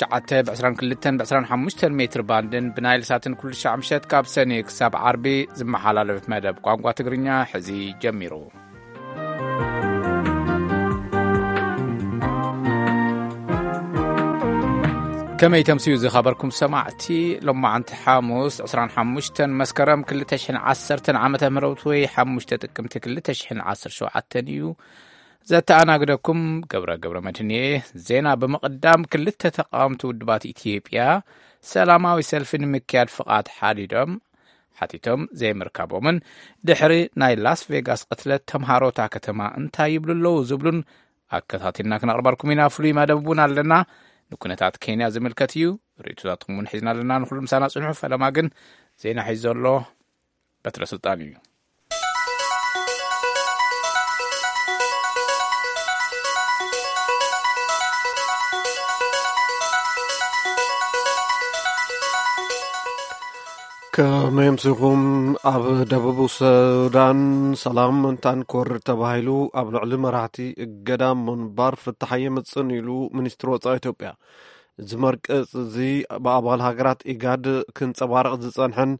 ትሽዓተ ብ ዕስራን ክልተን ብ ዕስራን ሓሙሽተን ሜትር ባንድን ብናይል ሳትን ኩሉ ሻዕ ምሸት ካብ ሰኒ ክሳብ ዓርቢ ዝመሓላለፍ መደብ ቋንቋ ትግርኛ ሕዚ ጀሚሩ። ከመይ ተምስዩ ዝኸበርኩም ሰማዕቲ፣ ሎማዓንቲ ሓሙስ ዕስራን ሓሙሽተን መስከረም ክልተ ሽሕን ዓሰርተን ዓመተ ምህረት ወይ ሓሙሽተ ጥቅምቲ ክልተ ሽሕን ዓሰርተ ሸውዓተን እዩ። ዘተኣናግደኩም ገብረ ገብረ መድህን እየ። ዜና ብምቕዳም፣ ክልተ ተቃወምቲ ውድባት ኢትዮጵያ ሰላማዊ ሰልፊ ንምክያድ ፍቓድ ሓዲዶም ሓቲቶም ዘይምርካቦምን ድሕሪ ናይ ላስ ቬጋስ ቅትለት ተምሃሮ እታ ከተማ እንታይ ይብሉ ኣለዉ ዝብሉን ኣከታቲልና ክነቕርበልኩም ኢና። ፍሉይ መደብ እውን ኣለና። ንኩነታት ኬንያ ዝምልከት እዩ። ርእይቶታትኩም እውን ሒዝና ኣለና። ንኩሉ ምሳና ጽንሑ። ፈለማ ግን ዜና ሒዙ ዘሎ በትረ ስልጣን እዩ። ከመይ ኣምሲኹም? ኣብ ደቡብ ሱዳን ሰላም ምእንታን ክወርድ ተባሂሉ ኣብ ልዕሊ መራሕቲ እገዳ ምንባር ፍታሕ የምጽእን ኢሉ ሚኒስትሪ ወጻኢ ኢትዮጵያ። እዚ መርቀጽ እዚ ብኣባል ሃገራት ኢጋድ ክንጸባረቕ ዝጸንሐን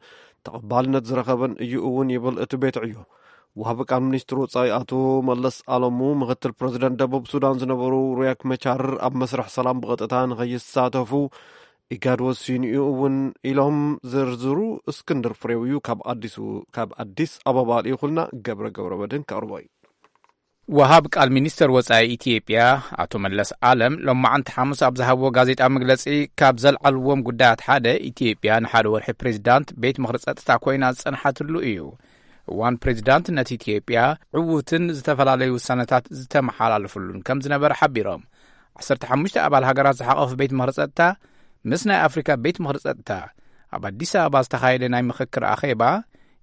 ተቐባልነት ዝረኸበን እዩ እውን ይብል እቲ ቤት ዕዮ። ወሃቢ ቃል ሚኒስትሪ ወጻኢ ኣቶ መለስ ኣለሙ፣ ምክትል ፕረዚደንት ደቡብ ሱዳን ዝነበሩ ሪያክ መቻር ኣብ መስርሕ ሰላም ብቐጥታ ንኸይሳተፉ ኢጋድ ወሲኑ እዩ እውን ኢሎም። ዝርዝሩ እስክንድር ፍሬው እዩ ካብ ኣዲሱ፣ ካብ ኣዲስ ኣበባ ልኢኹልና። ገብረ ገብረ መድህን ከቕርቦ እዩ። ወሃብ ቃል ሚኒስተር ወጻኢ ኢትዮጵያ ኣቶ መለስ ኣለም ሎማዓንቲ ሓሙስ ኣብ ዝሃብዎ ጋዜጣ መግለጺ፣ ካብ ዘልዓልዎም ጉዳያት ሓደ፣ ኢትዮጵያ ንሓደ ወርሒ ፕሬዚዳንት ቤት ምኽሪ ጸጥታ ኮይና ዝጸንሓትሉ እዩ። እዋን ፕሬዚዳንትነት ኢትዮጵያ ዕዉትን ዝተፈላለዩ ውሳነታት ዝተመሓላለፍሉን ከም ዝነበረ ሓቢሮም። ዓሰርተ ሓሙሽተ ኣባል ሃገራት ዝሓቐፈ ቤት ምኽሪ ጸጥታ ምስ ናይ ኣፍሪካ ቤት ምኽሪ ጸጥታ ኣብ ኣዲስ ኣበባ ዝተኻየደ ናይ ምኽክር ኣኼባ፣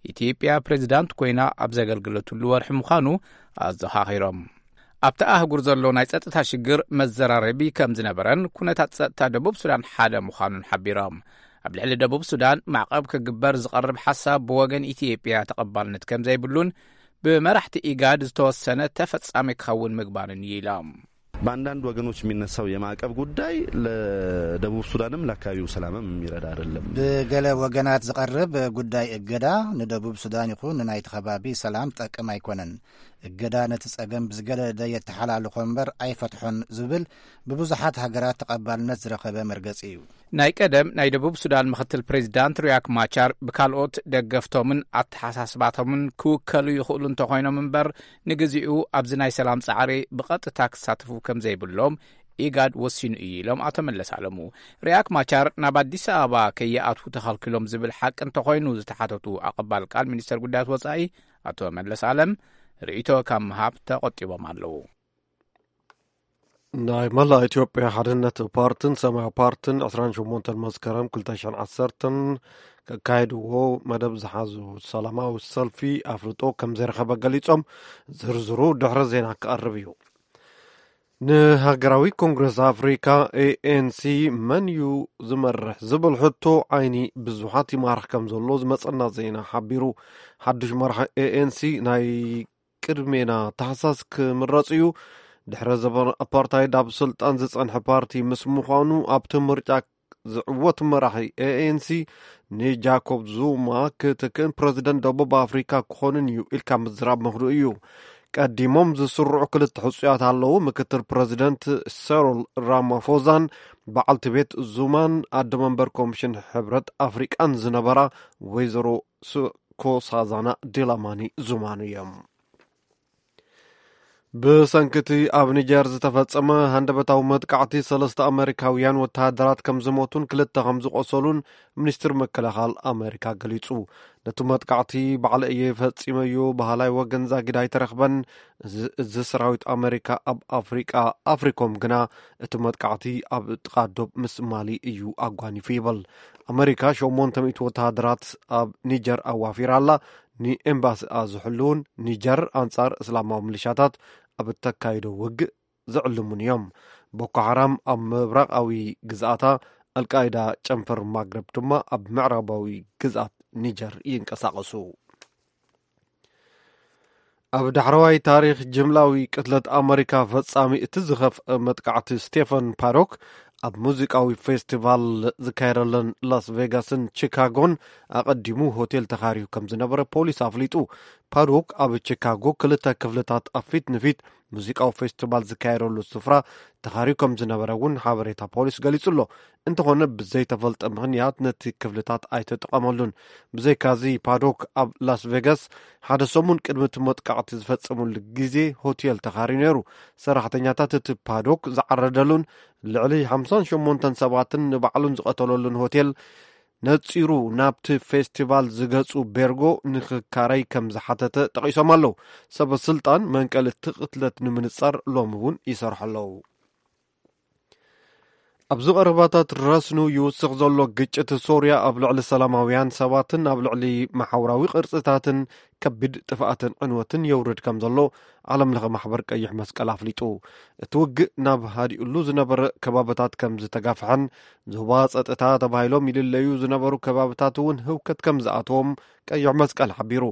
ኢትዮጵያ ፕሬዚዳንት ኮይና ኣብ ዘገልግለትሉ ወርሒ ምዃኑ ኣዘኻኺሮም። ኣብቲ ኣህጉር ዘሎ ናይ ጸጥታ ሽግር መዘራረቢ ከም ዝነበረን ኩነታት ጸጥታ ደቡብ ሱዳን ሓደ ምዃኑን ሓቢሮም። ኣብ ልዕሊ ደቡብ ሱዳን ማዕቐብ ክግበር ዝቐርብ ሓሳብ ብወገን ኢትዮጵያ ተቐባልነት ከም ዘይብሉን ብመራሕቲ ኢጋድ ዝተወሰነ ተፈጻሚ ክኸውን ምግባርን እዩ ኢሎም። በአንዳንድ ወገኖች የሚነሳው የማዕቀብ ጉዳይ ለደቡብ ሱዳንም ለአካባቢው ሰላምም የሚረዳ አይደለም። ብገለ ወገናት ዝቐርብ ጉዳይ እገዳ ንደቡብ ሱዳን ይኹን ንናይቲ ከባቢ ሰላም ጠቅም ኣይኮነን። እገዳ ነቲ ጸገም ብዝገደደ የተሓላልኾ እምበር ኣይፈትሖን ዝብል ብብዙሓት ሃገራት ተቐባልነት ዝረኸበ መርገጺ እዩ። ናይ ቀደም ናይ ደቡብ ሱዳን ምኽትል ፕሬዚዳንት ሪያክ ማቻር ብካልኦት ደገፍቶምን ኣተሓሳስባቶምን ክውከሉ ይኽእሉ እንተኾይኖም እምበር፣ ንግዚኡ ኣብዚ ናይ ሰላም ጻዕሪ ብቐጥታ ክሳተፉ ከም ዘይብሎም ኢጋድ ወሲኑ እዩ ኢሎም ኣቶ መለስ ኣለሙ። ሪያክ ማቻር ናብ ኣዲስ ኣበባ ከይኣትዉ ተኸልኪሎም ዝብል ሓቂ እንተኾይኑ ዝተሓተቱ ኣቐባል ቃል ሚኒስተር ጉዳያት ወጻኢ ኣቶ መለስ ኣለም፣ ርእይቶ ካብ ምሃብ ተቖጢቦም ኣለዉ። ናይ መላእ ኢትዮጵያ ሓድነት ፓርትን ሰማያዊ ፓርትን ዕስራን ሸሞንተን መስከረም ክልተ ሽሕን ዓሰርተን ከካየድዎ መደብ ዝሓዙ ሰላማዊ ሰልፊ ኣፍልጦ ከም ዘይረኸበ ገሊጾም፣ ዝርዝሩ ድሕሪ ዜና ክቐርብ እዩ። ንሃገራዊ ኮንግረስ ኣፍሪካ፣ ኤ ኤን ሲ፣ መን እዩ ዝመርሕ ዝብል ሕቶ ዓይኒ ብዙሓት ይማርኽ ከም ዘሎ ዝመጸና ዜና ሓቢሩ። ሓድሽ መራሒ ኤ ኤን ሲ ናይ ቅድሜና ታሕሳስ ክምረጽ እዩ። ድሕሪ ዘበን ኣፓርታይድ ኣብ ስልጣን ዝጸንሐ ፓርቲ ምስ ምዃኑ፣ ኣብቲ ምርጫ ዝዕወት መራሒ ኤ ኤን ሲ ንጃኮብ ዙማ ክትክእን ፕረዚደንት ደቡብ ኣፍሪካ ክኾንን እዩ ኢልካ ምዝራብ ምኽኑእ እዩ። ቀዲሞም ዝስርዑ ክልተ ሕጹያት ኣለዉ። ምክትል ፕረዚደንት ሰሮል ራማፎዛን በዓልቲ ቤት ዙማን ኣደ መንበር ኮሚሽን ሕብረት ኣፍሪቃን ዝነበራ ወይዘሮ ስ-፣ ኮሳዛና ዲላማኒ ዙማን እዮም። ብሰንኪ እቲ ኣብ ኒጀር ዝተፈጸመ ሃንደበታዊ መጥቃዕቲ፣ ሰለስተ ኣመሪካውያን ወተሃደራት ከም ዝሞቱን ክልተ ከም ዝቖሰሉን ሚኒስትሪ ምክልኻል ኣመሪካ ገሊጹ። ነቲ መጥቃዕቲ ባዕለ እየ ፈጺመዮ በሃላይ ወገን ዛጊድ ኣይተረኽበን። እዚ፣ እዚ ሰራዊት ኣመሪካ ኣብ ኣፍሪቃ፣ ኣፍሪኮም ግና እቲ መጥቃዕቲ ኣብ ጥቓ ዶብ ምስ ማሊ እዩ ኣጓኒፉ ይብል። ኣመሪካ ሸሞንተ ሚእቲ ወተሃደራት ኣብ ኒጀር ኣዋፊራ ኣላ። ንኤምባሲኣ ዝሕልውን ኒጀር ኣንጻር እስላማዊ ሚሊሻታት ኣብ እተካይዶ ውግእ ዝዕልሙን እዮም። ቦኮ ሓራም ኣብ ምብራቓዊ ግዝኣታ፣ ኣልቃይዳ ጨንፈር ማግረብ ድማ ኣብ ምዕራባዊ ግዝኣት ኒጀር ይንቀሳቐሱ። ኣብ ዳሕረዋይ ታሪኽ ጅምላዊ ቅትለት ኣመሪካ ፈጻሚ እቲ ዝኸፍአ መጥቃዕቲ ስቴፈን ፓዶክ ኣብ ሙዚቃዊ ፌስቲቫል ዝካየደለን ላስ ቬጋስን ቺካጎን ኣቐዲሙ ሆቴል ተኻርዩ ከም ዝነበረ ፖሊስ ኣፍሊጡ። ፓዶክ ኣብ ቺካጎ ክልተ ክፍልታት ኣብ ፊት ንፊት ሙዚቃዊ ፌስቲቫል ዝካየደሉ ስፍራ ተኻርዩ ከም ዝነበረ እውን ሓበሬታ ፖሊስ ገሊጹ ኣሎ። እንተኾነ ብዘይተፈልጠ ምኽንያት ነቲ ክፍልታት ኣይተጠቐመሉን። ብዘይካዚ ፓዶክ ኣብ ላስ ቬጋስ ሓደ ሰሙን ቅድሚ እቲ መጥቃዕቲ ዝፈጸሙሉ ግዜ ሆቴል ተኻርዩ ነይሩ። ሰራሕተኛታት እቲ ፓዶክ ዝዓረደሉን ልዕሊ ሓምሳን ሸሞንተን ሰባትን ንባዕሉን ዝቐተለሉን ሆቴል ነጺሩ ናብቲ ፌስቲቫል ዝገጹ ቤርጎ ንክካረይ ከም ዝሓተተ ጠቒሶም ኣለዉ። ሰበ ስልጣን መንቀሊ እቲ ቅትለት ንምንጻር ሎሚ እውን ይሰርሑ ኣለዉ። ኣብዚ ቀረባታት ረስኑ ይውስኽ ዘሎ ግጭት ሶርያ ኣብ ልዕሊ ሰላማውያን ሰባትን ኣብ ልዕሊ መሓውራዊ ቅርጽታትን ከቢድ ጥፍኣትን ዕንወትን የውርድ ከም ዘሎ ዓለም ለኸ ማሕበር ቀይሕ መስቀል ኣፍሊጡ። እቲ ውግእ ናብ ሃዲኡሉ ዝነበረ ከባብታት ከም ዝተጋፍሐን ዞባ ጸጥታ ተባሂሎም ይልለዩ ዝነበሩ ከባብታት እውን ህውከት ከም ዝኣተዎም ቀይሕ መስቀል ሓቢሩ።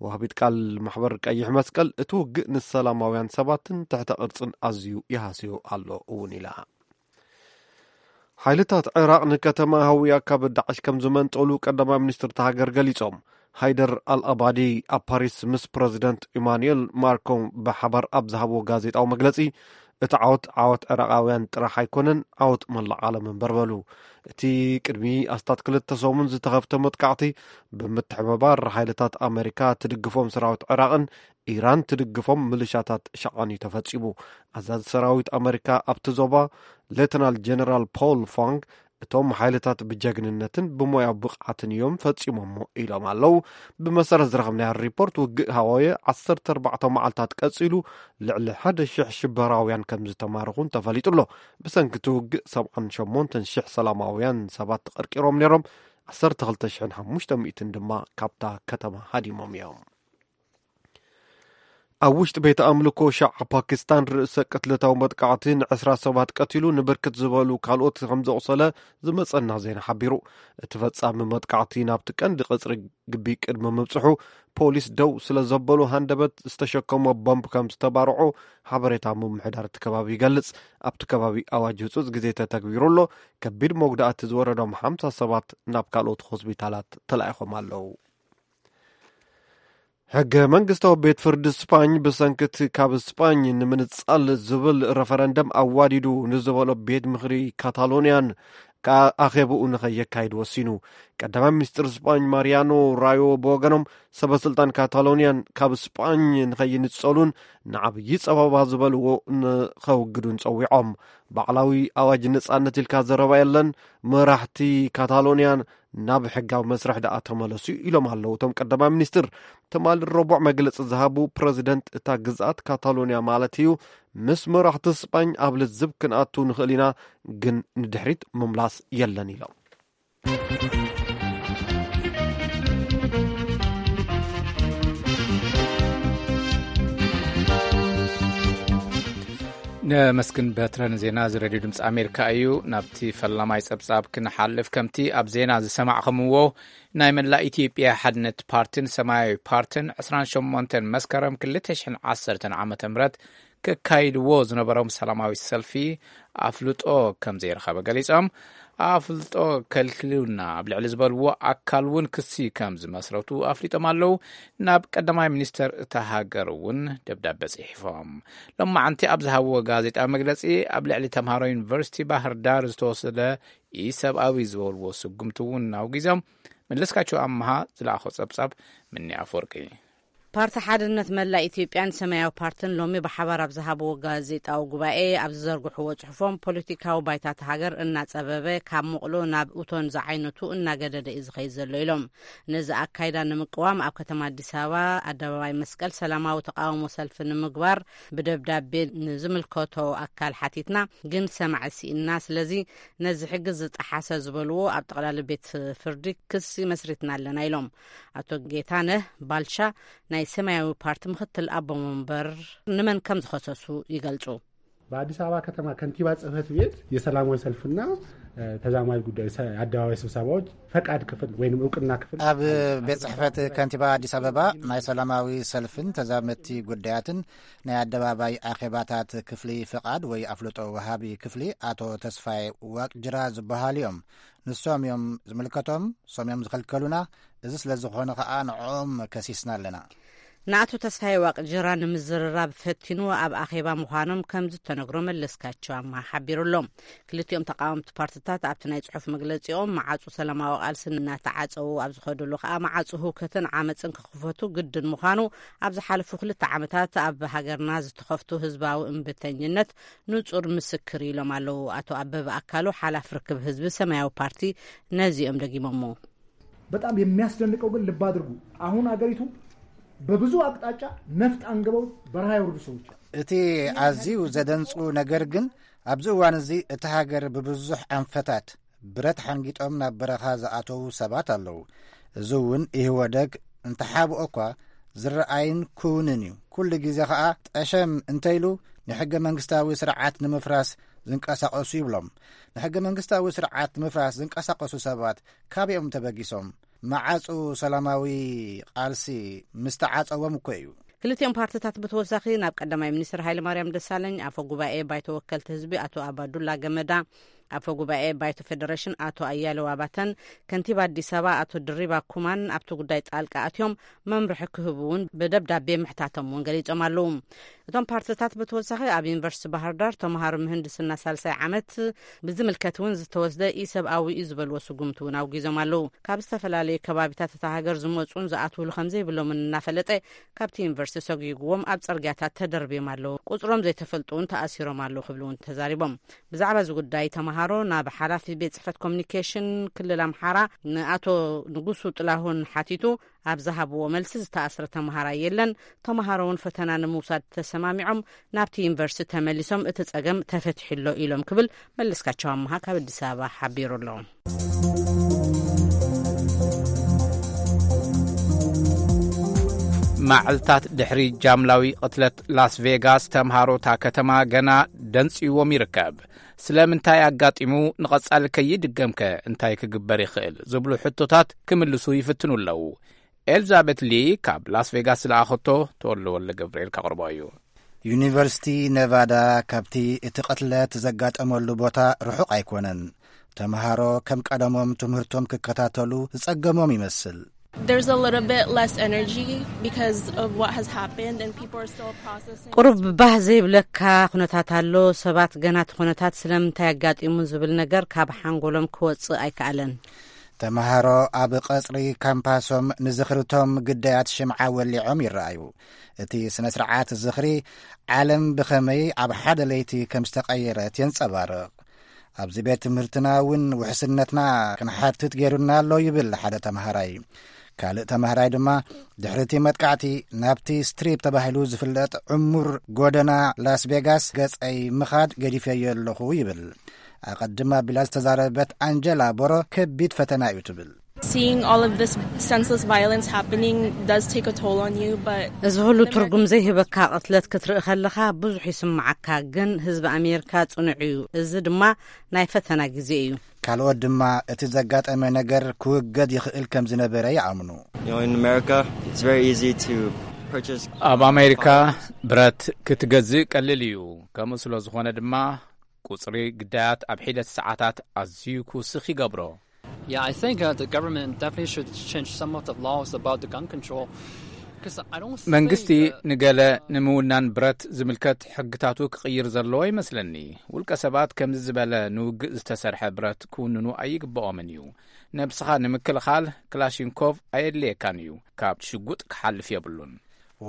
ወሃቢት ቃል ማሕበር ቀይሕ መስቀል እቲ ውግእ ንሰላማውያን ሰባትን ትሕተ ቅርጽን ኣዝዩ ይሃስዮ ኣሎ እውን ኢላ። ሓይልታት ዕራቕ ንከተማ ሃውያ ካብ ዳዕሽ ከም ዝመንጠሉ ቀዳማይ ሚኒስትር እታ ሃገር ገሊጾም። ሃይደር ኣልኣባዲ ኣብ ፓሪስ ምስ ፕረዚደንት ኢማኑኤል ማክሮን ብሓባር ኣብ ዝሃብዎ ጋዜጣዊ መግለጺ፣ እቲ ዓወት ዓወት ዕራቓውያን ጥራሕ ኣይኮነን፣ ዓወት መላእ ዓለም እምበር በሉ። እቲ ቅድሚ ኣስታት ክልተ ሰሙን ዝተኸፍተ መጥቃዕቲ ብምትሕብባር ሓይልታት ኣመሪካ ትድግፎም ሰራዊት ዕራቕን ኢራን ትድግፎም ምልሻታት ሸቓን እዩ ተፈጺሙ። ኣዛዚ ሰራዊት ኣመሪካ ኣብቲ ዞባ ሌተናል ጀነራል ፖል ፋንግ፣ እቶም ሓይልታት ብጀግንነትን ብሞያዊ ብቕዓትን እዮም ፈጺሞሞ ኢሎም ኣለዉ። ብመሰረት ዝረኸብናዮ ሪፖርት ውግእ ሃዋየ ዓሰርተ ኣርባዕተ መዓልታት ቀጺሉ ልዕሊ ሓደ ሽሕ ሽበራውያን ከም ዝተማረኹን ተፈሊጡ ኣሎ። ብሰንኪ እቲ ውግእ ሰብዓን ሸሞንተን ሽሕ ሰላማውያን ሰባት ተቐርቂሮም ነይሮም፣ ዓሰርተ ክልተ ሽሕን ሓሙሽተ ሚእትን ድማ ካብታ ከተማ ሃዲሞም እዮም። ኣብ ውሽጢ ቤተ ኣምልኮ ሻዓ ፓኪስታን ርእሰ ቅትለታዊ መጥቃዕቲ ንዕስራ ሰባት ቀቲሉ ንብርክት ዝበሉ ካልኦት ከም ዘቑሰለ ዝመጸና ዜና ሓቢሩ። እቲ ፈጻሚ መጥቃዕቲ ናብቲ ቀንዲ ቅጽሪ ግቢ ቅድሚ ምብጽሑ ፖሊስ ደው ስለ ዘበሉ ሃንደበት ዝተሸከሞ ቦምብ ከም ዝተባርዑ ሓበሬታ ምምሕዳር እቲ ከባቢ ይገልጽ። ኣብቲ ከባቢ ኣዋጅ ህጹጽ ግዜ ተተግቢሩ ኣሎ። ከቢድ መጉዳእቲ ዝወረዶም ሓምሳ ሰባት ናብ ካልኦት ሆስፒታላት ተላኢኾም ኣለዉ። ሕገ መንግስታዊ ቤት ፍርዲ ስፓኝ ብሰንክቲ ካብ ስፓኝ ንምንጻል ዝብል ረፈረንደም ኣዋዲዱ ንዝበሎ ቤት ምኽሪ ካታሎንያን ኣኼብኡ ንኸየካይድ ወሲኑ። ቀዳማይ ሚኒስትር ስፓኝ ማሪያኖ ራዮ ብወገኖም ሰበ ስልጣን ካታሎንያን ካብ ስጳኝ ንኸይንጸሉን ንዓብዪ ጸበባ ዝበልዎ ንኸውግዱን ጸዊዖም። ባዕላዊ ኣዋጅ ነጻነት ኢልካ ዘረባ የለን፣ መራሕቲ ካታሎንያ ናብ ሕጋዊ መስርሕ ደኣ ተመለሱ ኢሎም ኣለዉ እቶም ቀዳማይ ሚኒስትር። ትማሊ ረቡዕ መግለጺ ዝሃቡ ፕረዚደንት እታ ግዝኣት ካታሎንያ ማለት እዩ፣ ምስ መራሕቲ ስጳኝ ኣብ ልዝብ ክንኣቱ ንኽእል ኢና፣ ግን ንድሕሪት ምምላስ የለን ኢሎም። ነመስግን በትረ ንዜና እዚ ሬድዮ ድምፂ ኣሜሪካ እዩ። ናብቲ ፈላማይ ፀብፃብ ክንሓልፍ፣ ከምቲ ኣብ ዜና ዝሰማዕኹምዎ፣ ናይ መላእ ኢትዮጵያ ሓድነት ፓርቲን ሰማያዊ ፓርቲን ዕስራን ሸሞንተን መስከረም ክልተ ሽሕን ዓሰርተን ዓመተ ምህረት ክካይድዎ ዝነበሮም ሰላማዊ ሰልፊ ኣፍልጦ ከም ዘይረኸበ ገሊጾም፣ ኣፍልጦ ከልኪሉና ኣብ ልዕሊ ዝበልዎ ኣካል እውን ክሲ ከም ዝመስረቱ ኣፍሊጦም ኣለዉ። ናብ ቀዳማይ ሚኒስተር እታ ሃገር እውን ደብዳበ ጽሒፎም። ሎማዓንቲ ኣብ ዝሃብዎ ጋዜጣዊ መግለጺ፣ ኣብ ልዕሊ ተምሃሮ ዩኒቨርሲቲ ባህር ዳር ዝተወሰደ ኢሰብኣዊ ዝበልዎ ስጉምቲ እውን ኣውጊዞም። መለስካቸው ኣመሃ ዝለኣኾ ጸብጻብ ምኒ ኣፈወርቂ። ፓርቲ ሓድነት መላእ ኢትዮጵያን ሰማያዊ ፓርትን ሎሚ ብሓባር ኣብ ዝሃብዎ ጋዜጣዊ ጉባኤ ኣብ ዝዘርግሕዎ ጽሑፎም፣ ፖለቲካዊ ባይታ እታ ሃገር እናጸበበ፣ ካብ ምቕሎ ናብ እቶን ዝዓይነቱ እናገደደ እዩ ዝኸይድ ዘሎ ኢሎም። ነዚ ኣካይዳ ንምቅዋም ኣብ ከተማ ኣዲስ ኣበባ ኣደባባይ መስቀል ሰላማዊ ተቃውሞ ሰልፊ ንምግባር ብደብዳቤ ንዝምልከቶ ኣካል ሓቲትና፣ ግን ሰማዒ ስኢንና። ስለዚ ነዚ ሕጊ ዝጠሓሰ ዝበልዎ ኣብ ጠቕላሊ ቤት ፍርዲ ክሲ መስሪትና ኣለና ኢሎም። ኣቶ ጌታነህ ባልቻ ናይ ሰማያዊ ፓርቲ ምክትል ኣቦ መንበር ንመን ከም ዝኸሰሱ ይገልጹ። በአዲስ አበባ ከተማ ከንቲባ ጽህፈት ቤት የሰላማዊ ሰልፍና ተዛማጅ ጉዳይ አደባባይ ስብሰባዎች ፈቃድ ክፍል ወይም እውቅና ክፍል። ኣብ ቤት ጽሕፈት ከንቲባ ኣዲስ ኣበባ ናይ ሰላማዊ ሰልፍን ተዛመቲ ጉዳያትን ናይ ኣደባባይ ኣኼባታት ክፍሊ ፍቓድ ወይ ኣፍልጦ ወሃቢ ክፍሊ ኣቶ ተስፋይ ዋቅጅራ ዝበሃሉ እዮም። ንሶም እዮም ዝምልከቶም፣ ሶም እዮም ዝኸልከሉና። እዚ ስለ ዝኾነ ኸኣ ንዕኦም ከሲስና ኣለና። ንኣቶ ተስፋይ ዋቅጅራ ንምዝርራብ ፈቲኑ ኣብ ኣኼባ ምዃኖም ከም ዝተነግሮ መለስካቸው ኣማ ሓቢሩ ኣሎ። ክልቲኦም ተቃወምቲ ፓርትታት ኣብቲ ናይ ጽሑፍ መግለጺኦም መዓጹ ሰላማዊ ቃልሲ እናተዓጸዉ ኣብ ዝኸድሉ ከኣ መዓጹ ህውከትን ዓመጽን ክኽፈቱ ግድን ምዃኑ ኣብ ዝሓለፉ ክልተ ዓመታት ኣብ ሃገርና ዝተኸፍቱ ህዝባዊ እምብተኝነት ንጹር ምስክር ኢሎም ኣለዉ። ኣቶ ኣበበ ኣካሉ ሓላፍ ርክብ ህዝቢ ሰማያዊ ፓርቲ ነዚኦም ደጊሞሞ። በጣም የሚያስደንቀው ግን ልብ አድርጉ፣ አሁን አገሪቱ በብዙ አቅጣጫ ነፍጥ አንግበው በረሃ የወረዱ ሰዎች። እቲ ኣዝዩ ዘደንጹ ነገር ግን ኣብዚ እዋን እዚ እቲ ሃገር ብብዙሕ ኣንፈታት ብረት ሓንጊጦም ናብ በረኻ ዝኣተዉ ሰባት ኣለዉ። እዚ እውን ኢህወደግ እንተሓብኦ እኳ ዝረኣይን ክውንን እዩ። ኩሉ ግዜ ኸኣ ጠሸም እንተይሉ ንሕገ መንግስታዊ ስርዓት ንምፍራስ ዝንቀሳቐሱ ይብሎም። ንሕገ መንግስታዊ ስርዓት ንምፍራስ ዝንቀሳቐሱ ሰባት ካበይኦም ተበጊሶም? መዓጹ ሰላማዊ ቃልሲ ምስ ተዓጸዎም እኮ እዩ። ክልቲኦም ፓርትታት ብተወሳኺ ናብ ቀዳማይ ሚኒስትር ሃይለማርያም ደሳለኝ፣ ኣፈ ጉባኤ ባይቶ ወከልቲ ህዝቢ ኣቶ ኣባዱላ ገመዳ፣ ኣፈ ጉባኤ ባይቶ ፌደሬሽን ኣቶ ኣያሌው ኣባተን ከንቲባ ኣዲስ ኣበባ ኣቶ ድሪባ ኩማን ኣብቲ ጉዳይ ጣልቃ ኣትዮም መምርሒ ክህቡ እውን ብደብዳቤ ምሕታቶም እውን ገሊጾም ኣለዉ። እቶም ፓርትታት ብተወሳኺ ኣብ ዩኒቨርሲቲ ባህር ዳር ተምሃሮ ምህንድስና ሳልሳይ ዓመት ብዝምልከት እውን ዝተወስደ ኢሰብኣዊ እዩ ዝበልዎ ስጉምቲ እውን ኣውጊዞም ኣለዉ። ካብ ዝተፈላለዩ ከባቢታት እታ ሃገር ዝመፁን ዝኣትውሉ ከም ዘይብሎምን እናፈለጠ ካብቲ ዩኒቨርሲቲ ሰጒግዎም ኣብ ፅርግያታት ተደርብዮም ኣለዉ። ቁፅሮም ዘይተፈልጡ እውን ተኣሲሮም ኣለዉ ክብሉ እውን ተዛሪቦም። ብዛዕባ እዚ ጉዳይ ተምሃሮ ናብ ሓላፊ ቤት ፅሕፈት ኮሚኒኬሽን ክልል ኣምሓራ ንኣቶ ንጉሱ ጥላሁን ሓቲቱ ኣብ ዝሃብዎ መልሲ ዝተኣስረ ተምሃራይ የለን። ተምሃሮ እውን ፈተና ንምውሳድ ተሰማሚዖም ናብቲ ዩኒቨርሲቲ ተመሊሶም እቲ ፀገም ተፈቲሑ ኣሎ ኢሎም ክብል መለስካቸው ኣምሃ ካብ ኣዲስ ኣበባ ሓቢሩ ኣሎ። መዓልታት ድሕሪ ጃምላዊ ቅትለት ላስ ቬጋስ ተምሃሮ እታ ከተማ ገና ደንጽይዎም ይርከብ። ስለምንታይ ኣጋጢሙ ንቐጻሊ ከይድገምከ እንታይ ክግበር ይኽእል ዝብሉ ሕቶታት ክምልሱ ይፍትኑ ኣለዉ። ኤልዛቤት ሊ ካብ ላስ ቬጋስ ዝለኣኸቶ ተወልደ ወልደ ገብርኤል ከቕርቦ እዩ። ዩኒቨርሲቲ ነቫዳ ካብቲ እቲ ቅትለት ዘጋጠመሉ ቦታ ርሑቕ ኣይኮነን። ተምሃሮ ከም ቀደሞም ትምህርቶም ክከታተሉ ዝጸገሞም ይመስል። There's a little bit less energy because of what has happened and people are still processing. ቁሩብ ባህ ዘይብለካ ኩነታት ኣሎ። ሰባት ገና እቲ ኩነታት ስለምንታይ ኣጋጢሙ ዝብል ነገር ካብ ሓንጎሎም ክወጽእ ኣይከኣለን። ተምሃሮ ኣብ ቀጽሪ ካምፓሶም ንዝኽርቶም ግዳያት ሽምዓ ወሊዖም ይረኣዩ። እቲ ስነ ስርዓት ዝኽሪ ዓለም ብኸመይ ኣብ ሓደ ለይቲ ከም ዝተቐየረት የንጸባርቕ። ኣብዚ ቤት ትምህርትና እውን ውሕስነትና ክንሓትት ገይሩና ኣሎ ይብል ሓደ ተምሃራይ። ካልእ ተምሃራይ ድማ ድሕሪ እቲ መጥቃዕቲ ናብቲ ስትሪፕ ተባሂሉ ዝፍለጥ ዕሙር ጎደና ላስ ቬጋስ ገጸይ ምኻድ ገዲፈዮ ኣለኹ ይብል። ኣቐድም ኣቢላ ዝተዛረበት ኣንጀላ ቦሮ ከቢድ ፈተና እዩ ትብል። Seeing all of this senseless violence happening does take a toll on you, but እዚ ኩሉ ትርጉም ዘይህበካ ቅትለት ክትርኢ ከለኻ ብዙሕ ይስምዓካ፣ ግን ህዝቢ ኣሜሪካ ጽኑዕ እዩ። እዚ ድማ ናይ ፈተና ግዜ እዩ። ካልኦት ድማ እቲ ዘጋጠመ ነገር ክውገድ ይኽእል ከም ዝነበረ ይኣምኑ። You know, in America, it's very easy to purchase. ኣብ ኣሜሪካ ብረት ክትገዝእ ቀሊል እዩ። ከምኡ ስለ ዝኾነ ድማ ቁጽሪ ግዳያት ኣብ ሒደት ሰዓታት ኣዝዩ ክውስኽ ይገብሮ። Yeah, I think uh, the government definitely should change some of the laws about the gun control. 'Cause I don't መንግስቲ think, uh, ንገለ ንምውናን ብረት ዝምልከት ሕግታቱ ክቕይር ዘለዎ ይመስለኒ። ውልቀ ሰባት ከምዚ ዝበለ ንውግእ ዝተሰርሐ ብረት ክውንኑ ኣይግብኦምን እዩ። ነብስኻ ንምክልኻል ክላሽንኮቭ ኣየድልየካን እዩ። ካብ ሽጉጥ ክሓልፍ የብሉን።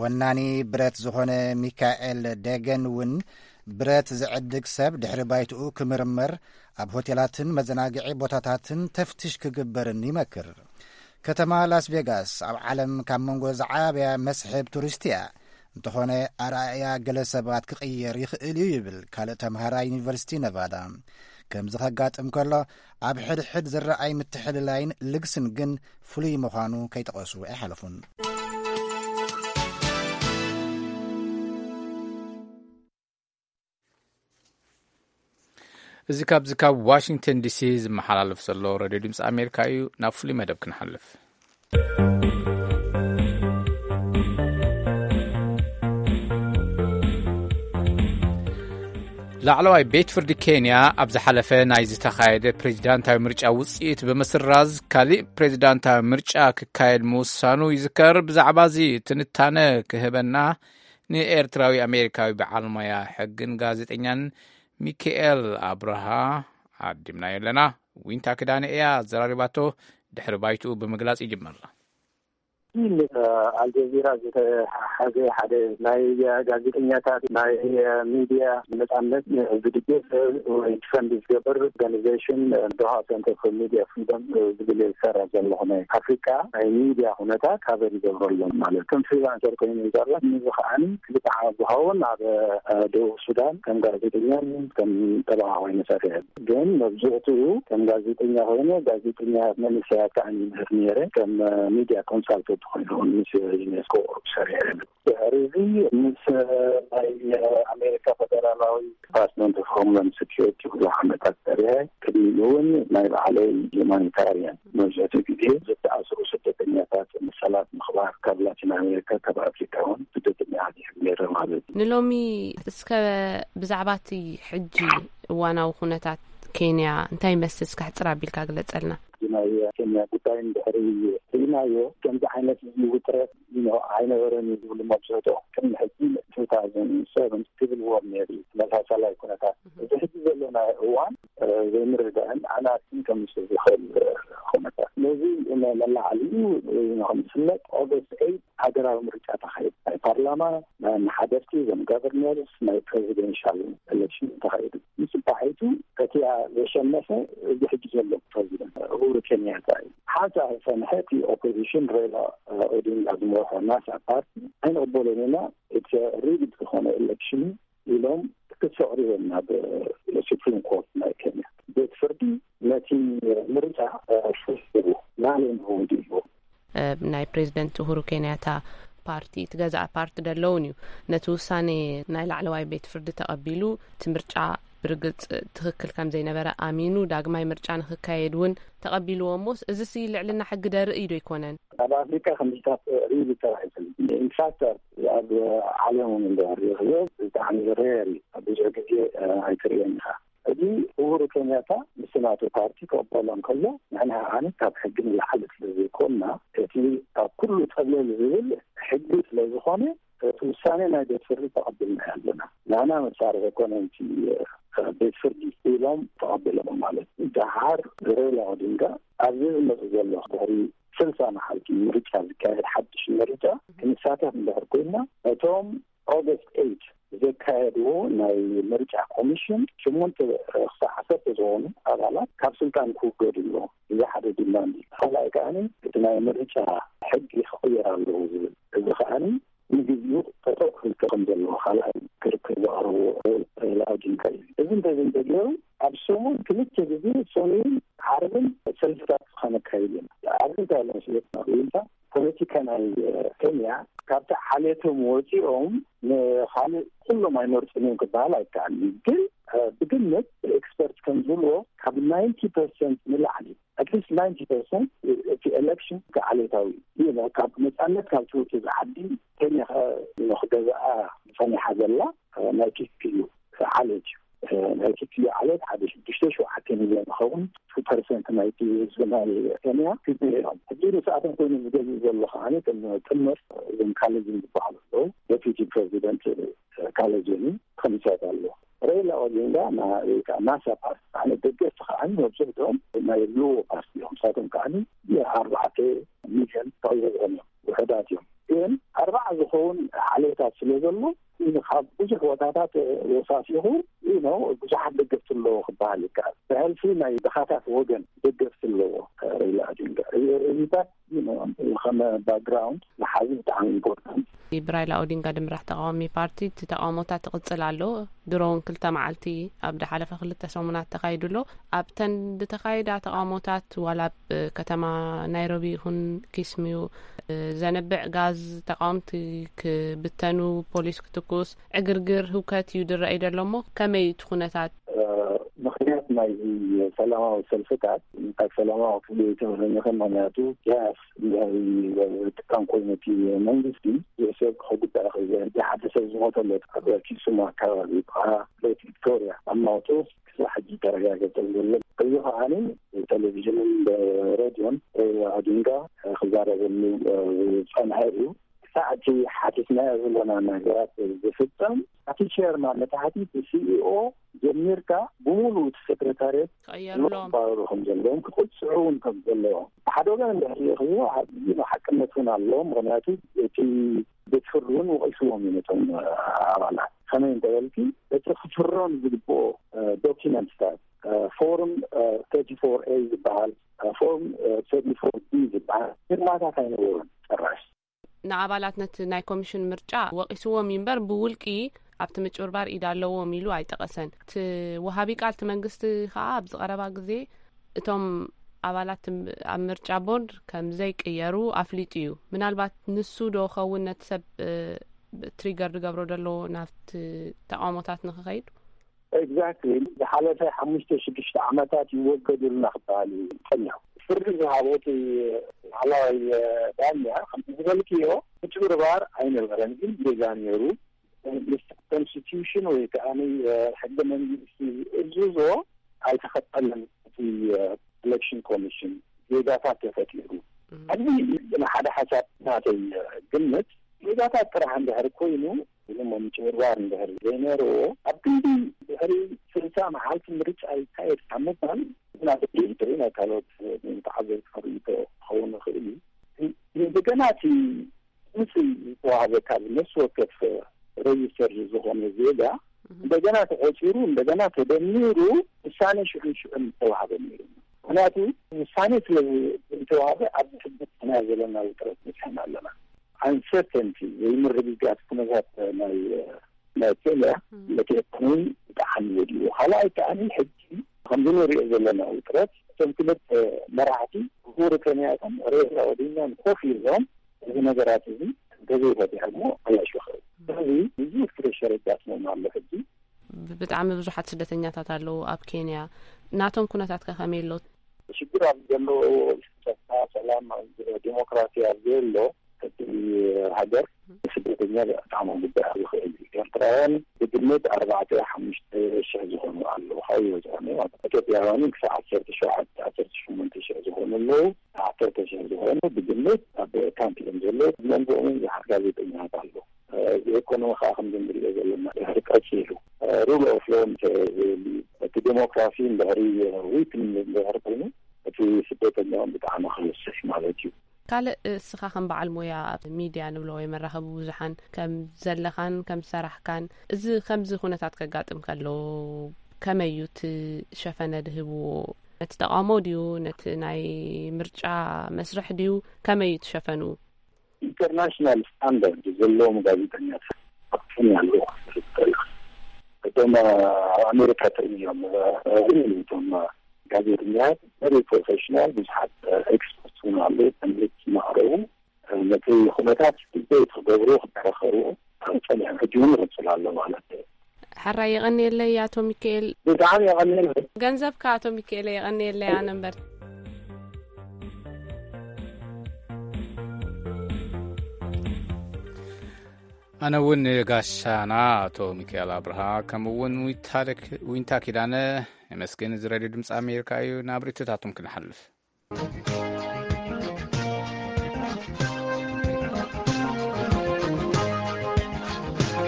ወናኒ ብረት ዝኾነ ሚካኤል ደገን እውን ብረት ዝዕድግ ሰብ ድሕሪ ባይትኡ ክምርመር፣ ኣብ ሆቴላትን መዘናግዒ ቦታታትን ተፍትሽ ክግበርን ይመክር። ከተማ ላስ ቬጋስ ኣብ ዓለም ካብ መንጎ ዝዓበያ መስሕብ ቱሪስት እያ። እንተኾነ ኣርኣእያ ገለ ሰባት ክቕየር ይኽእል እዩ ይብል ካልእ ተምሃራይ ዩኒቨርሲቲ ነቫዳ። ከምዚ ከጋጥም ከሎ ኣብ ሕድሕድ ዝረኣይ ምትሕልላይን ልግስን ግን ፍሉይ ምዃኑ ከይጠቐሱ ኣይሓለፉን። እዚ ካብዚ ካብ ዋሽንግተን ዲሲ ዝመሓላለፍ ዘሎ ሬድዮ ድምፂ ኣሜሪካ እዩ። ናብ ፍሉይ መደብ ክንሓልፍ። ላዕለዋይ ቤት ፍርዲ ኬንያ ኣብ ዝሓለፈ ናይ ዝተኻየደ ፕሬዚዳንታዊ ምርጫ ውፅኢት ብምስራዝ፣ ካሊእ ፕሬዚዳንታዊ ምርጫ ክካየድ ምውሳኑ ይዝከር። ብዛዕባ እዚ ትንታነ ክህበና ንኤርትራዊ ኣሜሪካዊ በዓል ሞያ ሕግን ጋዜጠኛን ሚካኤል ኣብርሃ ዓዲምናዮ ኣለና። ዊንታ ክዳነ እያ ኣዘራሪባቶ። ድሕሪ ባይትኡ ብምግላጽ ይጅምር። ምስ ኣልጀዚራ ዝተሓሓዘ ሓደ ናይ ጋዜጠኛታት፣ ናይ ሚድያ ነጻነት ዝድግፍ ወይ ፈንድ ዝገብር ኦርጋኒዜሽን፣ ዶሃ ሴንተር ፎር ሚድያ ፍሪደም ዝብል ዝሰርሕ ዘለኹ ናይ ኣፍሪቃ ናይ ሚድያ ኩነታት ካቨር ይገብረሎም ማለት ከም ፍሪላንሰር ኮይኑ ይሰርሕ። ንዚ ከዓኒ ክልተ ዓመት ዝኸውን ኣብ ደቡብ ሱዳን ከም ጋዜጠኛን ከም ጠበቓ ኮይኑ ሰሪሐ። ግን መብዝሕትኡ ከም ጋዜጠኛ ኮይነ፣ ጋዜጠኛ መንእሰያት ከዓኒ ይምህር ነይረ። ከም ሚድያ ኮንሳልተንት ኮይኑ ምስ ዩኔስኮ ሰሪሐ። ድሕሪ እዚ ምስ ናይ ኣሜሪካ ፈደራላዊ ዲፓርትመንት ኦፍ ሆምላንድ ሴኪሪቲ ብዙሕ ዓመታት ሰሪሐ። ቅድሚኡ እውን ናይ ባዕለይ ሁማኒታሪያን፣ መብዝሕትኡ ግዜ ዝተኣስሩ ስደተኛታት መሰላት ምኽባር፣ ካብ ላቲን ኣሜሪካ፣ ካብ ኣፍሪካ እውን ስደተኛ ነይረ ማለት እዩ። ንሎሚ እስከ ብዛዕባ እቲ ሕጂ እዋናዊ ኩነታት ኬንያ እንታይ ይመስል እስከ ሕጽር ኣቢልካ ግለጸልና። ናይ ኬንያ ጉዳይ እንድሕሪ ርኢናዮ፣ ከምዚ ዓይነት እዚ ውጥረት ይኖ ኣይነበረን እዩ ዝብሉ መብዝሕትኦም። ቅድሚ ሕጂ ቱ ታውዘንድ ሰቨን ሲቪል ዋር ነይሩ እዩ፣ ተመሳሳላይ ኩነታት። እዚ ሕጂ ዘለናዮ እዋን፣ እ፣ ዘይምርዳእን ኣናትን ከምስል ዝኽእል፣ እ፣ ኩነታት። ነዚ መ-፣ መላዓሊኡ፣ እ፣ ንኽንስለጥ ኦገስት ኤይት ሃገራዊ ምርጫ ተኻይዱ። ናይ ፓርላማ፣ ናይ ኣመሓደርቲ፣ እዞም ጋቨርነርስ፣ ናይ ፕሬዚደንሻል ኤሌክሽን ተኻይዱ። ምስ ባሒቱ እቲ ዘሸነፈ እዚ ሕጂ ዘሎ ፕሬዚደንት ኡሁሩ ኬንያታ እዩ። ሓንሳእ ዝጸንሐ እቲ ኦፖዚሽን ሬላ ኦዲንጋ ዝመርሖ ናሳ ፓርቲ ኣይንቕበሎን ኢና፣ እቲ ሪግድ ዝኾነ ኤሌክሽን ኢሎም ክሲ ኣቕሪቦም ናብ ሱፕሪም ኮርት ናይ ኬንያ። ቤት ፍርዲ ነቲ ምርጫ ፈሲሩ ናለ ንህውድ ኢሉ። እ፣ ናይ ፕሬዚደንት ኡሁሩ ኬንያታ ፓርቲ፣ እቲ ገዛእ ፓርቲ ደለውን እዩ። ነቲ ውሳኔ ናይ ላዕለዋይ ቤት ፍርዲ ተቐቢሉ፣ እቲ ምርጫ ብርግጽ ትኽክል ከም ዘይነበረ ኣሚኑ፣ ዳግማይ ምርጫ ንኽካየድ እውን ተቐቢልዎ። እሞስ፣ እዚሲ ልዕልና ሕጊ ደርኢ ዶ ኣይኮነን? ኣብ ኣፍሪካ ከምዚታት ሪሊ ተባሂሉ። ኢንፋክት፣ ኣብ ዓለም እውን እንዳ ሪኦ ብጣዕሚ ሬር እዩ። ኣብ ብዙሕ ግዜ፣ እ፣ ኣይትርእዮን ኢኻ። እዚ ኡሁሩ ኬንያታ ምስ ናቱ ፓርቲ ክቕበሎ እንከሎ፣ ንሕና ከዓኒ ካብ ሕጊ ንላዕሊ ስለ ዘይኮንና፣ እቲ ኣብ ኩሉ ጠብለል ዝብል ሕጊ ስለ ዝኾነ፣ እቲ ውሳኔ ናይ ቤት ፍርዲ ተቐቢልና ኣለና። ንሕና መሳርሒ ኣይኮነን እቲ፣ እ፣ ቤት ፍርዲ ኢሎም ተቐቢሎም ማለት እዩ። ደሓር ሬላ ኦዲንጋ ኣብዚ ዝመጽእ ዘሎ ድሕሪ ስልሳ መዓልቲ ምርጫ ዝካየድ ሓድሽ ምርጫ ክንሳተፍ እንድሕር ኮይንና፣ እቶም ኦገስት ኤይት ዘካየድዎ ናይ ምርጫ ኮሚሽን ሸሞንተ ክሳዕ ዓሰርተ ዝኾኑ ኣባላት ካብ ስልጣን ክውገዱ ኣለዎም። እዚ ሓደ ዲማንድ እዩ። ካልኣይ ከኣ እቲ ናይ ምርጫ ሕጊ ክቕየር ኣለዎ ዝብል፣ እዚ ከኣ ንግዚኡ ጠጠው ክብል ከም ዘለዎ ካልኣይ ክርክር ዘቕረብዎ ሬላ ኦዲንጋ እዩ። እዚ እንተዘይተገይሩ ኣብ ሰሙን ክልተ ግዜ ሰኑይን ዓርብን ሰልፍታት ከነካይድ ኢና። ኣብዚ እንታይ ኣሎ መስለካ ዊንታ፣ ፖለቲካ ናይ ኬንያ ካብቲ ዓሌቶም ወፂኦም ንካልእ ኩሎም ኣይመርፁን እዮም ክበሃል ኣይከኣልን እዩ። ግን፣ እ፣ ብግምት ኤክስፐርት ከም ዝብልዎ ካብ ናይንቲ ፐርሰንት ንላዕሊ፣ ኣትሊስት ናይንቲ ፐርሰንት እቲ ኤሌክሽን ዓሌታዊ እዩ። ካብ ነፃነት ካብ ትውፅእ ዓዲ ኬንያ ከ ንክገዝኣ ጸኒሓ ዘላ፣ እ፣ ናይ ኪክዩ ዓሌት እዩ። እ፣ ናይ ኪክዩ ዓሌት ሓደ ሽዱሽተ ሸውዓተ ሚልዮን ዝኸውን ቱ ፐርሰንት ናይቲ ህዝቢ ናይ ኬንያ ኪክዩ እዮም። ሕጂ ንስኣቶም ኮይኑ ዝገዝእ ዘሎ ከዓኒ ከም ጥምር እዞም ካሌጅን ዝበሃሉ ኣለዉ። ዴፒቲ ፕሬዚደንት፣ እ፣ ካሌጅን ከምሳት ኣሎ። ሬላ ኦዲንጋ ና-፣ ወይ ከዓ ናሳ ፓርቲ፣ ኣነ ደገፍቲ ከዓኒ መብዝሕትኦም ናይ ሉዎ ፓርቲ እዮም። ንሳቶም ከዓኒ ኣርባዕተ ሚልዮን ተቐይሮም እዮም። ውሑዳት እዮም። ግን ኣርባዓ ዝኸውን ዓሌታት ስለ ዘሎ፣ ካብ ብዙሕ ቦታታት ወሳሲኹ፣ you know፣ ብዙሓት ደገፍቲ ኣለዎ ክበሃል ይከኣል። ብሕልፊ ናይ ድኻታት ወገን ደገፍቲ ኣለዎ ሬላ ኦዲንጋ። እዚታት፣ you know፣ ከም ባክግራውንድ ዝሓዙ ብጣዕሚ ኢምፖርታንት። ብራይላ ኦዲንጋ ድምራሕ ተቃዋሚ ፓርቲ እቲ ተቃውሞታት ትቕጽል ኣሎ። ድሮ እውን ክልተ መዓልቲ ኣብ ዝሓለፈ ክልተ ሰሙናት ተኻይዱ ኣሎ። ኣብተን ዝተኻየዳ ተቃውሞታት ዋላ ኣብ ከተማ ናይሮቢ ይኹን ኪስሚዩ፣ እ፣ ዘንብዕ ጋዝ፣ ተቃወምቲ ክብተኑ፣ ፖሊስ ክትኩስ፣ ዕግርግር፣ ህውከት እዩ ዝረኣይ ዘሎ። እሞ ከመይ እቲ ኩነታት? እ፣ ምኽንያት ናይዚ ሰላማዊ ሰልፍታት ካብ ሰላማዊ ክፍሊ ኣይተበለኒ ከም ምኽንያቱ ያስ ብጣም ኮይኑ እቲ መንግስቲ ይሕሰብ ክጉዳእ ክእል ሓደ ሰብ ዝሞተለት ኣብ ኪሱም ኣካባቢ ከዓ ቤት ቪክቶሪያ ኣብ ማውቶ ክሳብ ሕጂ ተረጋገጸ ዘሎ። እዚ ከዓኒ ቴሌቪዥንን ሬድዮን ሬድዮ ኣዲንጋ ክዛረበሉ ዝጸንሐ እዩ። ክሳዕ እቲ ሓቲትናዮ ዘለና ነገራት ዝፍጸም እቲ ቸርማን ነቲ ሓቲት ሲኢኦ ጀሚርካ ብሙሉ እቲ ሴክሬታርየት ክቕየርሎም። ክባረሩ ከም ዘለዎም ክቕፅዑ እውን ከም ዘለዎም ሓደ ወገን እንድሕር ይኽብዎ ሓቅነት እውን ኣለዎም። ምክንያቱ እቲ ቤት ፍርዲ እውን ወቒስዎም እዩ ነቶም ኣባላት። ከመይ እንተበልኪ እቲ ክፍረም ዝግብኦ ዶኪመንትታት ፎርም ተርቲ ፎር ኤ ዝበሃል ፎርም ተርቲ ፎር ቢ ዝበሃል ፊርማታት ኣይነበሩን ጭራሽ። ንኣባላት ነቲ ናይ ኮሚሽን ምርጫ ወቒስዎም እዩ እምበር ብውልቂ ኣብቲ ምጭብርባር ኢድ ኣለዎም ኢሉ ኣይጠቐሰን። እቲ ወሃቢ ቃል እቲ መንግስቲ ከኣ ኣብዚ ቀረባ ግዜ እቶም ኣባላት ኣብ ምርጫ ቦርድ ከም ዘይቅየሩ ኣፍሊጡ እዩ። ምናልባት ንሱ ዶ ኸውን ነቲ ሰብ ትሪገር ዝገብሮ ዘሎ ናብቲ ተቃውሞታት ንክኸይድ? ኤግዛክትሊ። ዝሓለፈ ሓሙሽተ ሽዱሽተ ዓመታት ይወገዱልና ክበሃል እዩ ጸኒሑ። ፍርዲ ዝሃቦ እቲ ላዕለዋይ ዳኛ ከምቲ ዝበልክዮ ምጭብርባር ኣይነበረን፣ ግን ጌጋ ነይሩ። ምስ ኮንስቲቱሽን ወይ ከዓ ሕገ መንግስቲ ዝእዝዞ ኣይተኸተለን። እቲ ኤሌክሽን ኮሚሽን ጌጋታት ተፈጢሩ። ኣብዚ ንሓደ ሓሳብ ናተይ ግምት ጌጋታት ጥራሕ እንድሕር ኮይኑ እሞ ምጭብርባር እንድሕር ዘይነርዎ ኣብ ክንዲ ድሕሪ ስልሳ መዓልቲ ምርጫ ይካየድ ካብ ምባል ናተይ ርእይቶ ናይ ካልኦት ተዓዘብቲ ርእይቶ ክኸውን ይኽእል እዩ። እንደገና እቲ ድምፂ ዝተዋህበ ካብ ነፍሲ ወከፍ ሬጅስተር ዝኾነ ዜጋ እንደገና ተቆፂሩ እንደገና ተደሚሩ ውሳኔ ሽዑን ሽዑን ዝተዋህበ ነይሩ። ምክንያቱ ውሳኔ ስለ ዝተዋህበ ኣብዚ ሕጂ ናይ ዘለና ውጥረት በፂሕና ኣለና። ኣንሰርተንቲ ዘይምርግጋት ኩነታት ናይ ናይ ኬንያ ነቲ ኢኮኖሚ ብጣዕሚ ወዲኡ። ካልኣይ ከዓኒ ሕጂ ከምዚ ንሪኦ ዘለና ውጥረት እቶም ክልተ መራሕቲ ኡሁሩ ኬንያታን ሬላ ኦዲንጋን ኮፍ ኢሎም እዚ ነገራት እዚ እንተዘይፈቲሖሞ ኣላሽ ይኽእል። ስለዚ ብዙሕ ፕሬሸር የጋጥሞም ኣሎ ሕጂ። ብጣዕሚ ብዙሓት ስደተኛታት ኣለዉ ኣብ ኬንያ። ናቶም ኩነታት ከ ከመይ ኣሎ? ሽግር ኣብ ዘለዎ ጸጥታ፣ ሰላም፣ ዲሞክራሲ ኣብ ዘሎ እቲ ሃገር ስደተኛ ብጣዕሚ ክጉዳእ ዝኽእል እዩ። ኤርትራውያን ብግምት ኣርባዕተ ሓሙሽተ ሽሕ ዝኾኑ ኣለዉ። ካበይ ይበፅሑ ኣለዉ? ኢትዮጵያውያን ክሳብ ዓሰርተ ሸውዓተ ዓሰርተ ሸሞንተ ሽሕ ዝኾኑ ኣለዉ። ዓሰርተ ሽሕ ዝኾኑ ብግምት ኣብ ካምፕ እዮም ዘለዉ። መንጎኦም እውን ብዙሓት ጋዜጠኛታት ኣለዉ። ኢኮኖሚ ከዓ ከምዚ ንሪኦ ዘለና ድሕሪ ቀፂሉ ሩል ኦፍ ሎ እንተዘይህሉ እቲ ዴሞክራሲ እንድሕሪ ዊክ እንድሕር ኮይኑ እቲ ስደተኛውን ብጣዕሚ ክበስሕ ማለት እዩ። ካልእ እስኻ ከም በዓል ሞያ ኣብ ሚድያ ንብሎ ወይ መራኸቢ ብዙሓን ከም ዘለኻን ከም ዝሰራሕካን እዚ ከምዚ ኩነታት ከጋጥም ከሎ ከመይ እዩ እቲ ሸፈነ ድህብዎ? ነቲ ተቃውሞ ድዩ ነቲ ናይ ምርጫ መስርሕ ድዩ ከመይ እዩ ትሸፈንኡ? ኢንተርናሽናል ስታንዳርድ ዘለዎም ጋዜጠኛታት ኣብትን ያለው እቶም ኣብ ኣሜሪካ ትርእዮም እቶም ጋዜጠኛታት ቨሪ ፕሮፌሽናል ብዙሓት ኤክስፐርት ውን ኣሉ ተምልት ዝማዕረቡ ነቲ ኩነታት ስቴት ክገብሩ ክከራኸሩ ጸኒሖም ሕጂ እውን ይቕጽል ኣሎ ማለት እዩ። ሕራይ የቐንየለይ ኣቶ ሚካኤል። ብጣዕሚ የቐንየለይ። ገንዘብካ ኣቶ ሚካኤል የቐንየለይ ኣነ እምበር። ኣነ እውን ንጋሻና ኣቶ ሚካኤል ኣብርሃ ከምኡ እውን ዊንታ ኪዳነ የመስግን። እዚ ሬድዮ ድምፂ ኣሜሪካ እዩ። ናብ ርእይቶታቶም ክንሓልፍ።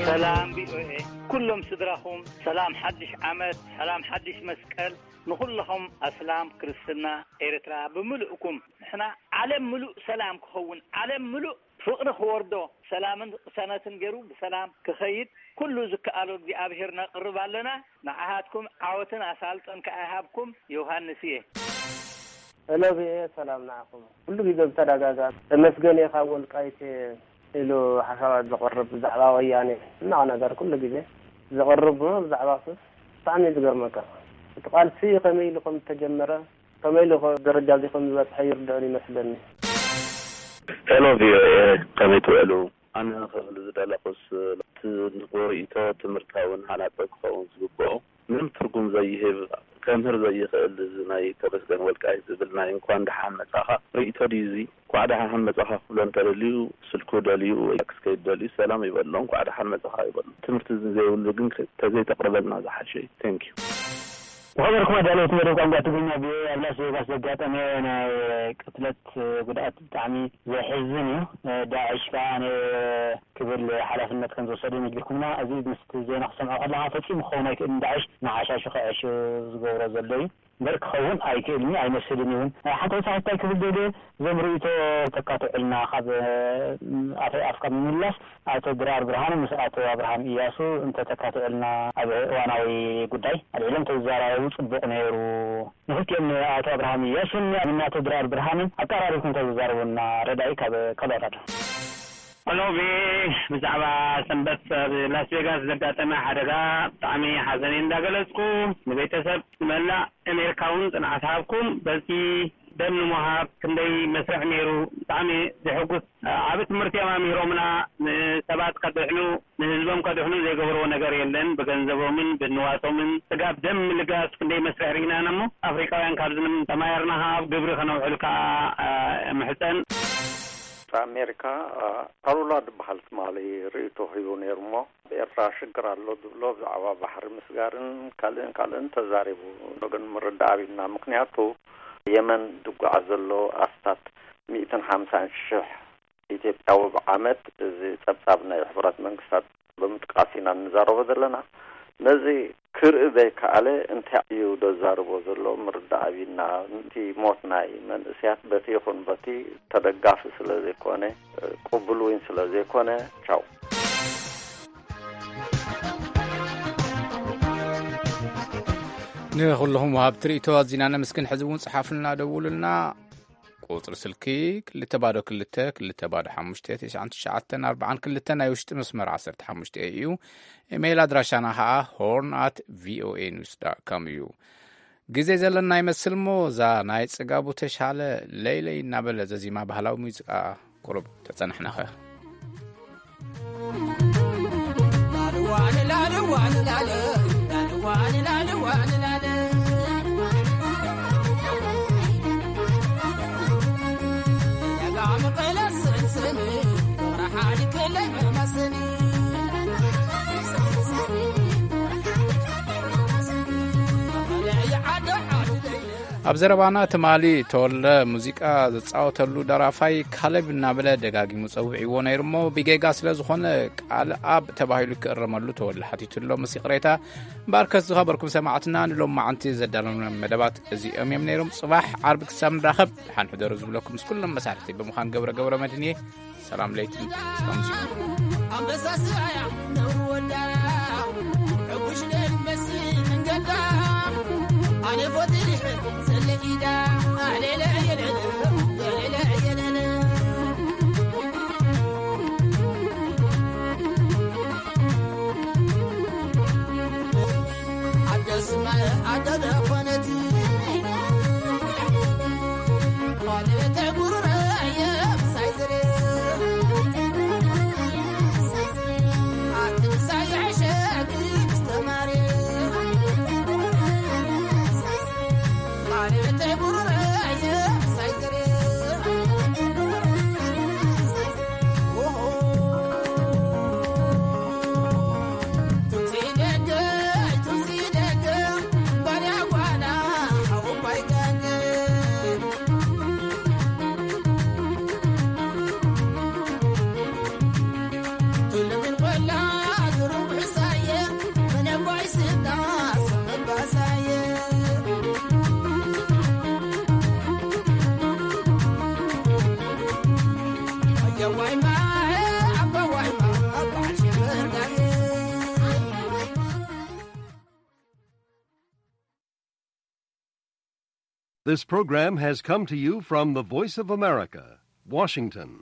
ሰላም ቪኦኤ ኩሎም ስድራኹም ሰላም ሓድሽ ዓመት ሰላም ሓድሽ መስቀል ንኹልኹም ኣስላም ክርስትና ኤርትራ ብምልእኩም ንሕና ዓለም ምሉእ ሰላም ክኸውን ዓለም ምሉእ ፍቕሪ ክወርዶ ሰላምን ቅሳነትን ገይሩ ብሰላም ክኸይድ ኩሉ ዝከኣሎ እግዚኣብሄር ነቕርብ ኣለና። ንዓኻትኩም ዓወትን ኣሳልጦን ከኣ ይሃብኩም። ዮሃንስ እየ። ሄሎ ቪኦኤ ሰላም ንዓኹም። ኩሉ ግዜ ብተደጋጋሚ ተመስገን እየ ካብ ወልቃይት እየ ኢሉ ሓሳባት ዘቕርብ ብዛዕባ ወያነ ሕማቕ ነገር ኩሉ ግዜ ዘቕርብ ብዛዕባ ሱስ ብጣዕሚ እዩ ዝገርመካ። እቲ ቃልሲ ከመይ ኢሉ ከም ዝተጀመረ ከመይ ኢሉ ደረጃ እዚ ከም ዝበፅሐ ይርድኦን ይመስለኒ። ሄሎ ቪኦኤ ከመይ ትውዕሉ? ኣነ ክብል ዝደለኹስ እቲ ንጎ ርእይቶ ትምህርታውን ሃናፂ ክኸውን ዝግብኦ ምንም ትርጉም ዘይህብ ከምህር ዘይኽእል፣ እዚ ናይ ተመስገን ወልቃይት ዝብል ናይ እንኳን ደሓን መጻኻ ርእይቶ ድዩ እዚ? እንኳዕ ደሓን መጻኻ ክብሎ እንተደልዩ፣ ስልኩ ደልዩ ወይ ፋክስ ከይደልዩ ሰላም ይበሎ፣ እንኳዕ ደሓን መጻኻ ይበሎ። ትምህርቲ ዘይብሉ ግን ከ-፣ ተዘይተቕርበልና ዝሓሸ እዩ። ቴንክ ዩ። ዝኸበርኩም ኣዳለውቲ መደብ ቋንቋ ትግርኛ፣ ቪኦኤ፣ ኣብ ላስ ቬጋስ ዘጋጠመ ናይ ቅትለት ጉድኣት ብጣዕሚ ዘሕዝን እዩ። ዳዕሽ ከዓ ነ-፣ ክብል ሓላፍነት ከም ዝወሰደ ነጊርኩምና። እዚ ምስቲ ዜና ክሰምዖ ከለኻ ፈጺሙ ክኸውን ኣይክእልን። ዳዕሽ ንዓሻሹ ክዕሹ ዝገብሮ ዘሎ እዩ። እምበር ክኸውን ኣይክእልን እዩ፣ ኣይመስልን እውን። ሓንቲ ወሳኺት እንታይ ክብል ደልየ፣ እዞም ርእይቶ ተካትዑልና ካብ፣ እ፣ ኣፈይ ኣፍካ ብምምላስ፣ ኣቶ ድራር ብርሃኑ ምስ ኣቶ ኣብርሃም ኢያሱ እንተተካትዑልና ኣብ እዋናዊ ጉዳይ ኣልዒሎም ተዝዘራረቡ ጽቡቕ ነይሩ። ንኽልቲኦም ንኣቶ ኣብርሃም ኢያሱን ንኣቶ ድራር ብርሃንን ኣቀራሪብኩም እንተዝዛረቡና ረዳኢ ካብ ኮሎራዶ። ሄሎ፣ ቪ፣ ብዛዕባ ሰንበት ኣብ ላስ ቬጋስ ዘጋጠመ ሓደጋ ብጣዕሚ ሓዘነይ እንዳገለጽኩ፣ ንቤተሰብ፣ ንመላእ ኣሜሪካ እውን ጽንዓት ሃብኩም። በዚ ደም ንምሃብ ክንደይ መስርሕ ነይሩ፣ ብጣዕሚ ዘሐጉስ ዓቢ ትምህርቲ እዮም ኣምሂሮምና። ንሰባት ከድሕኑ፣ ንህዝቦም ከድሕኑ ዘይገብርዎ ነገር የለን። ብገንዘቦምን ብንዋቶምን ስጋብ ደም ምልጋስ ክንደይ መስርሕ ርኢና ኢና እሞ፣ ኣፍሪቃውያን ካብዚ ንም ተማሂርና ኣብ ግብሪ ከነውዕል ከኣ፣ እ፣ እምሕጸን። ኣሜሪካ፣ እ፣ ካሩላ ዝበሃል ትማሊ ርእይቶ ሂቡ ነይሩ እሞ፣ ኣብ ኤርትራ ሽግር ኣሎ ዝብሎ ብዛዕባ ባሕሪ ምስጋርን ካልእን ካልእን ተዛሪቡ። ግን ምርዳእ ኣቢልና፣ ምኽንያቱ የመን ዝጓዓዝ ዘሎ ኣስታት ሚእትን ሓምሳን ሽሕ ኢትዮጵያዊ ብዓመት፣ እዚ ጸብጻብ ናይ ሕቡራት መንግስታት ብምጥቃስ ኢና እንዛረቦ ዘለና። ነዚ ክርኢ ዘይከኣለ እንታይ እዩ ዘዛርቦ ዘሎ ምርዳእ ኣቢልና። እቲ ሞት ናይ መንእስያት በቲ ይኹን በቲ ተደጋፊ ስለ ዘይኮነ፣ ቅቡል እውን ስለ ዘይኮነ፣ ቻው። ንኹልኹም ወሃብቲ ርእይቶ ኣዚና ነመስግን። ሕዚ እውን ጽሓፉልና፣ ደውሉልና። ቁጽሪ ስልኪ ክልተ ባዶ ክልተ ክልተ ባዶ ሓሙሽተ ትሽዓን ትሽዓተን ኣርባዓን ክልተ፣ ናይ ውሽጢ መስመር ዓሰርተ ሓሙሽተ እዩ። ኢሜይል ኣድራሻና ኸኣ ሆርን ኣት ቪኦኤ ኒውስ ዳት ኮም እዩ። ግዜ ዘለና ይመስል እሞ፣ እዛ ናይ ጽጋቡ ተሻለ ለይለይ እናበለ ዘዚማ ባህላዊ ሙዚቃ ቁሩብ ተጸናሕናኸ። ኣብ ዘረባና ትማሊ ተወልደ ሙዚቃ ዝጻወተሉ ደራፋይ ካሌብ እናበለ ደጋጊሙ ጸዊዕዎ ነይሩ እሞ፣ ብጌጋ ስለ ዝኾነ ቃል ኣብ ተባሂሉ ክእረመሉ ተወልደ ሓቲቱ ኣሎ። ምስ ይቕሬታ፣ እምበኣርከስ ዝኸበርኩም ሰማዕትና፣ ንሎማዓንቲ ዘዳለውና መደባት እዚኦም እዮም ነይሮም። ጽባሕ ዓርቢ ክሳብ ንራኸብ፣ ደሓን ሕደሩ ዝብለኩም ምስ ኩሎም መሳርሕቲ ብምዃን ገብረ ገብረ መድህን እየ። ሰላም ለይቲ። ሰላም ዚኡ። ኣንበሳ ስራያ ነውር ወዳ፣ ዕጉሽ ደርመሲ መንገዳ፣ ኣነ ፎቲ ድሕር ዘለኢዳ፣ ኣሌለ የለለ፣ የሌለ የለለ። ኣደስመ ኣደደ ኮነት፣ ኮነት ጉርረ የብሳይ ዝሬ። This program has come to you from the Voice of America, Washington.